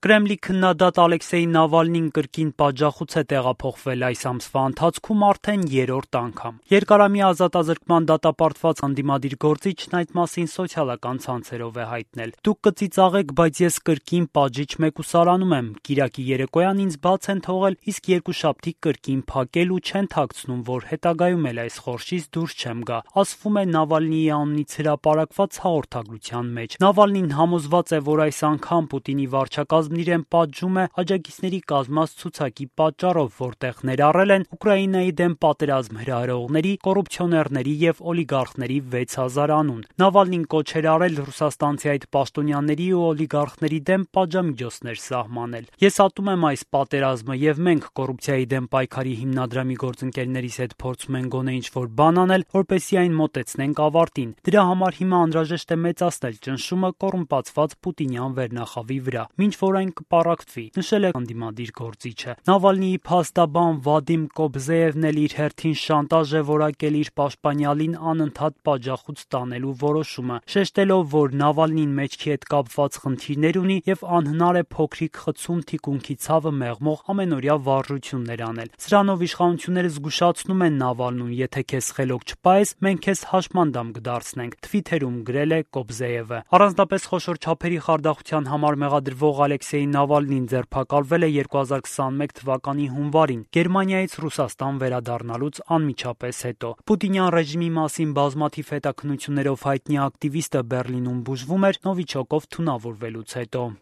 Կրեմլի քննադատ Ալեքսեյ Նավալնին կրկին պատժախոց է տեղափոխվել այս ամսվա ընթացքում արդեն երրորդ անգամ։ Երկարամյա ազատազրկման դատապարտված ընդդիմադիր գործիչն այդ մասին սոցիալական ցանցերով է հայտնել. «Դուք կծիծաղեք, բայց ես կրկին պատժիչ մեկուսարանում եմ։ Կիրակի երեկոյան ինձ բաց են թողել, իսկ երկուշաբթի կրկին փակել ու չեն թաքցնում, որ հետագայում էլ այս խորշից դուրս չեմ գա», ասվում է Նավալնիի անունից հրապարակված հաղորդագրության մեջ։ Նավալնին համոզված է, որ այս անգամ Պուտինի վարչակազմն իրեն պատժում է աջակիցների կազմած ցուցակի պատճառով, որտեղ ներառել են Ուկրաինայի դեմ պատերազմ հրահրողների, կոռուպցիոներների եւ օլիգարխների 6000 անուն։ Նավալնին կոչ էր արել ռուսաստանցի այդ պաշտոնյաների ու օլիգարխների դեմ պատժամիջոցներ սահմանել։ «Ես ատում եմ այս պատերազմը եւ մենք կոռուպցիայի դեմ պայքարի հիմնադրամի գործընկերներիս հետ փորձում ենք գոնե ինչ-որ բան անել, որպեսզի այն մոտեցնենք ավարտին։ Դրա համար հիմա անհրաժեշտ է մեծացնել ճնշումը կոռումպացված պուտինյան վերնախավի վրա, մինչ որ այն կպառակտվի», նշել է ընդդիմադիր գործիչը։ Նավալնիի փաստաբան Վադիմ Կոբզեևն էլ իր հերթին շանտաժ է որակել իր պաշտպանյալին անընդհատ պատժախոց տանելու որոշումը, շեշտելով, որ Նավալնին մեջքի հետ կապված խնդիրներ ունի եւ անհնար է փոքրիկ խցում թիկունքի ցավը մեղմող ամենօրյա վարժություններ անել։ Սրանով իշխանությունները զգուշացնում են Նավալնուն՝ եթե քեզ խելոք չպահես, մենք քեզ հաշմանդամ կդարձնենք, թվիթերում գրել է Կոբզեևը։ Առանձնապես խոշոր չափերի խարդախության համար մեղադրվող Ալեքսեյ Նավալնին ձերբակալվել է 2021 թվականի հունվարին Գերմանիայից Ռուսաստան վերադառնալուց անմիջապես հետո։ Պուտինյան ռեժիմի մասին բազմաթիվ հետաքննություններով հայտնի ակտիվիստը Բեռլինում բուժվում էր Նովիչոկով թունավորվելուց հետո։